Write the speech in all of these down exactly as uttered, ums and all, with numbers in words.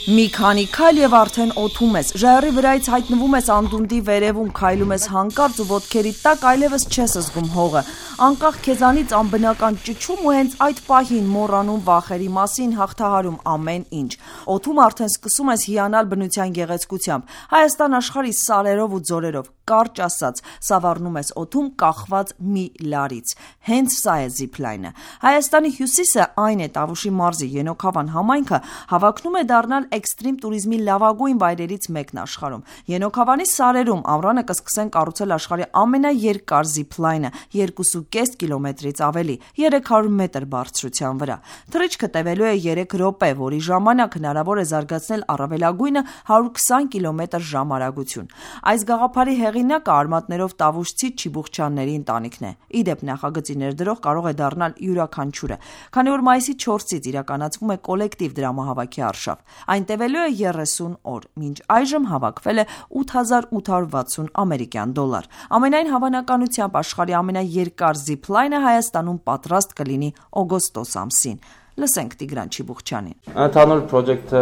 Մի քանի քայլ եւ արդեն օդում ես, ժայռի վրայից հայտնվում ես անդունդի վերևում, քայլում ես հանկարծ ու ոտքերիդ տակ այլևս չես զգում հողը, անկախ քեզանից անբնական ճչում ու հենց այդ պահին մոռանում վախերի մասին, հաղթահարում ամեն ինչ, օդում արդեն սկսում ես հիանալ բնության գեղեցկությամբ, Հայաստան աշխարհի սարերով ու ձորերով, կարճ ասած, սավառնում ես օդում կախված մի լարից, հենց սա է զիփլայնը, Հայաստանի հյուսիսը այն է Տավուշի մարզի Ենոքավան համայնքը հավակնում է դառնալ էքստրիմ տուրիզմի լավագույն վայրերից մեկն աշխարհում։ Ենոքավանի սարերում ամռանը կսկսեն կառուցել աշխարհի ամենաերկար զիփլայնը երկուսուկես կիլոմետրից ավելի, երեք հարյուր մետր բարձրության վրա։ Թռիչքը տևելու է երեք րոպե, որի ժամանակ հնարավոր է զարգացնել առավելագույնը հարյուր քսան կիլոմետր ժամ արագություն։ Այս գաղափարի հեղինակը արմատներով տավուշցի Չիբուխչյանների ընտանիքն է։ Իդեպ նախագծի ներդրող կարող է դառնալ յուրաքանչյուրը, քանի որ մայիսի չորսից իրականացվում է կոլեկտիվ դրամահավաքի արշավ։ Այն տևելու է երեսուն օր, մինչ այժմ հավաքվել է ութ հազար ութ հարյուր վաթսուն ամերիկյան դոլար։ Ամենայն հավանականությամբ աշխարհի ամենաերկար զիփլայնը Հայաստանում պատրաստ կլինի օգոստոս ամսին։ Լսենք Տիգրան Չիբուխչյանին։ Ընդհանուր պրոջեկտը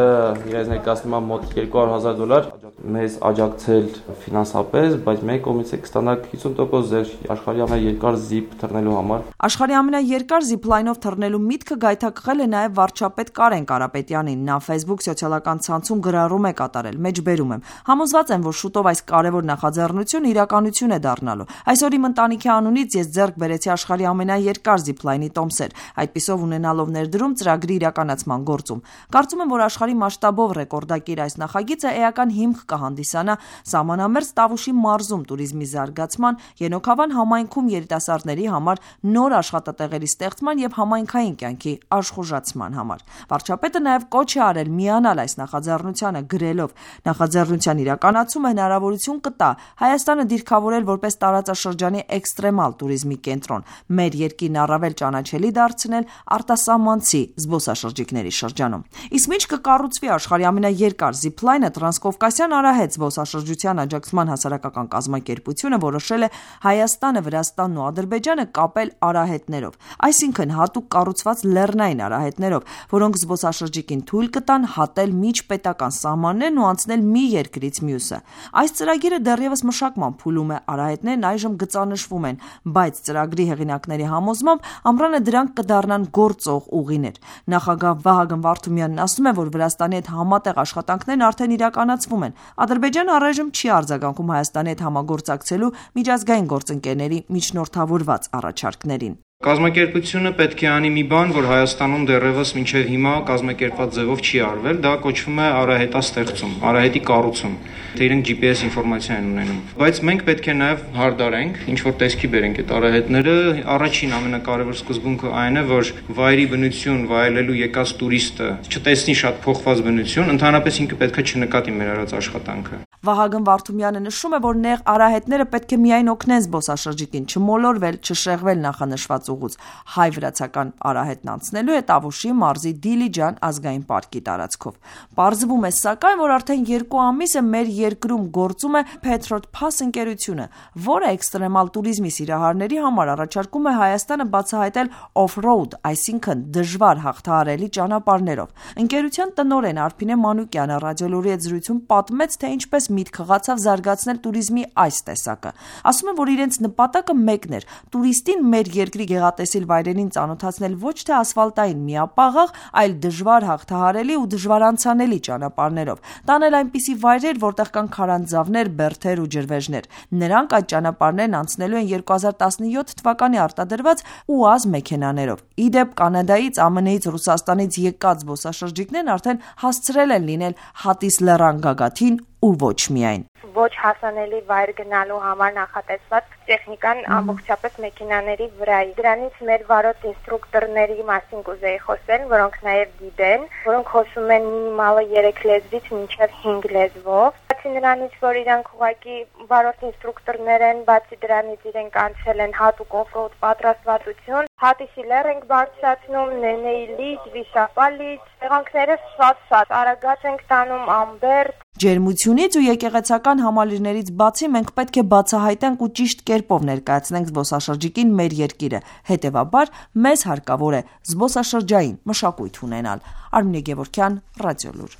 իրենց ներկայացնում է մոտ երկու հարյուր հազար դոլար, մեզ աջակցել ֆինանսապես, բայց մեր կողմից է կստանալ հիսուն տոկոս ձեր աշխարհի ամենաերկար զիփ թռնելու համար։ Աշխարհի ամենաերկար զիփլայնով թռնելու միտքը գայթակղել է նաև վարչապետ Կարեն Կարապետյանին։ Նա Facebook սոցիալական ցանցում գրառում է կատարել, մեջբերում եմ։ Համոզված եմ, որ շուտով այս կարևոր նախաձեռնությունը իրականություն է դառնալու։ Այսօր իմ ընտանիքի անունից ես ձեռք բերեցի աշխարհի ամենաերկար զիփլայնի տոմսեր, այդպիսով ունենալով ներդրում ծրագրի իրականացման գործում։ Կարծում եմ, որ աշխարհի մասշտաբով ռեկորդակիր այս նախագիծը էական հիմք կհանդիսանա սահմանամերձ Տավուշի մարզում տուրիզմի զարգացման, Ենոքավան համայնքում երիտասարդների համար նոր աշխատատեղերի ստեղծման եւ համայնքային կյանքի աշխուժացման համար։ Վարչապետը նաև կոչ է արել միանալ այս նախաձեռնությանը, գրելով. նախաձեռնության իրականացումը հնարավորություն կտա Հայաստանը դիրքավորել որպես տարածաշրջանի էքստրեմալ տուրիզմի կենտրոն, մեր երկիրն առավել ճանաչելի դարձնել արտասահմանցի զբոսաշրջիկների շրջանում։ Իսկ ինչ կկառուցվի աշխարհի ամենաերկար զիփլայնը, Տրանսկովկասյան Արահետ զբոսաշրջության աջակցման հասարակական կազմակերպությունը որոշել է Հայաստանը, Վրաստանն ու Ադրբեջանը կապել արահետներով, այսինքն հատուկ կառուցված լեռնային արահետներով, որոնք զբոսաշրջիկին թույլ կտան հատել միջպետական սահմաններն ու անցնել մի երկրից մյուսը։ Այս ծրագիրը դեռևս մշակման փուլում է, արահետներն այժմ գծանշվում են, բայց ծրագրի հեղինակների համոզմամբ ամռանը դրանք կդառնան գործող ուղիներ։ Նախագահ Վահագն Վարդումյանն ասում է, որ Վրաստանի հետ համատեղ աշխատանքներն արդեն իրականացվում են։ Ադրբեջանը առայժմ չի արձագանքում Հայաստանի հետ համագործակցելու միջազգային գործընկերների միջնորդավորված առաջարկներին։ Կազմակերպությունը պետք է անի մի բան, որ Հայաստանում դեռևս մինչև հիմա կազմակերպված ձևով չի արվել, դա կոչվում է արահետաստեղծում, արահետի կառուցում, թե իրենք Ջի Պի Էս ինֆորմացիա են ունենում։ Բայց մենք պետք է նաև հարդարենք, ինչ որ տեսքի բերենք այդ արահետները, առաջին ամենակարևոր սկզբունքը այն է, որ վայրի բնություն վայելելու եկած տուրիստը չտեսնի շատ փոխված բնություն, ընդհանրապես ինքը պետք է չնկատի մեր արած աշխատանքը։ Վահագն Վարդումյանը նշում է, որ նեղ արահետները պետք է միայն օգնեն զբոսաշրջիկին չմոլորվել, չշեղվել նախանշված ուղուց։ Հայ-վրացական արահետն անցնելու է Տավուշի մարզի Դիլիջան ազգային պարկի տարածքով։ Պարզվում է սակայն, որ արդեն երկու ամիս է մեր երկրում գործում է Petrod Pass ընկերությունը, որը էքստրեմալ տուրիզմի սիրահարների համար առաջարկում է Հայաստանը բացահայտել off-road, այսինքն դժվար հաղթահարելի ճանապարհներով։ Ընկերության տնօրեն Արփինե Մանուկյանը ռադիոլուրի հետ զրույցում պատմեց, թե ինչպես միտք խղացավ զարգացնել տուրիզմի այս տեսակը։ Ասում են, որ իրենց նպատակը մեկն էր՝ տուրիստին մեր երկրի գեղատեսիլ վայրերին ծանոթացնել ոչ թե ասֆալտային միապաղաղ, այլ դժվար հաղթահարելի ու դժվարանցանելի ճանապարհներով, տանել այնպիսի վայրեր, որտեղ կան քարանձավներ, բերդեր ու ջրվեժներ։ Նրանք այդ ճանապարհներն անցնելու են երկու հազար տասնյոթ թվականի արտադրված ՈՒԱԶ մեքենաներով։ Իդեպ Կանադայից, Ա Մ Ն-ից, Ռուսաստանից եկած զբոսաշրջիկներն արդեն հասցրել են լինել Հատիս լեռան գագաթին ու ոչ միայն։ Ոչ հասանելի վայր գնալու համար նախատեսված տեխնիկան ամբողջապես մեքենաների վրա է։ Դրանից մեր վարորդ ինստրուկտորների մասին կուզեի խոսել, որոնք նաև գիտեն, որոնք խոսում են մինիմալը երեք լեզվից մինչև հինգ լեզվով։ Բացի նրանից, որ իրանք ուղղակի վարորդ ինստրուկտորներ են, բացի դրանից իրենք անցել են հատուկ օֆրոուդ պատրաստվածություն, Հատիսի լեռ ենք բարձրացնում, Նենեի լիճ, Վիշապա լիճ, տեղանքները շատ-շատ արագած ենք տանում Ամբերդ։ Ջերմությունից ու եկեղեցական համալիրներից բացի մենք պետք է բացահայտենք ու ճիշտ կերպով ներկայացնենք զբոսաշրջիկին մեր երկիրը։ Հետևաբար մեզ հարկավոր է զբոսաշրջային մշակույթ ունենալ։ Արմինե Գևորգյան, Ռադիոլուր։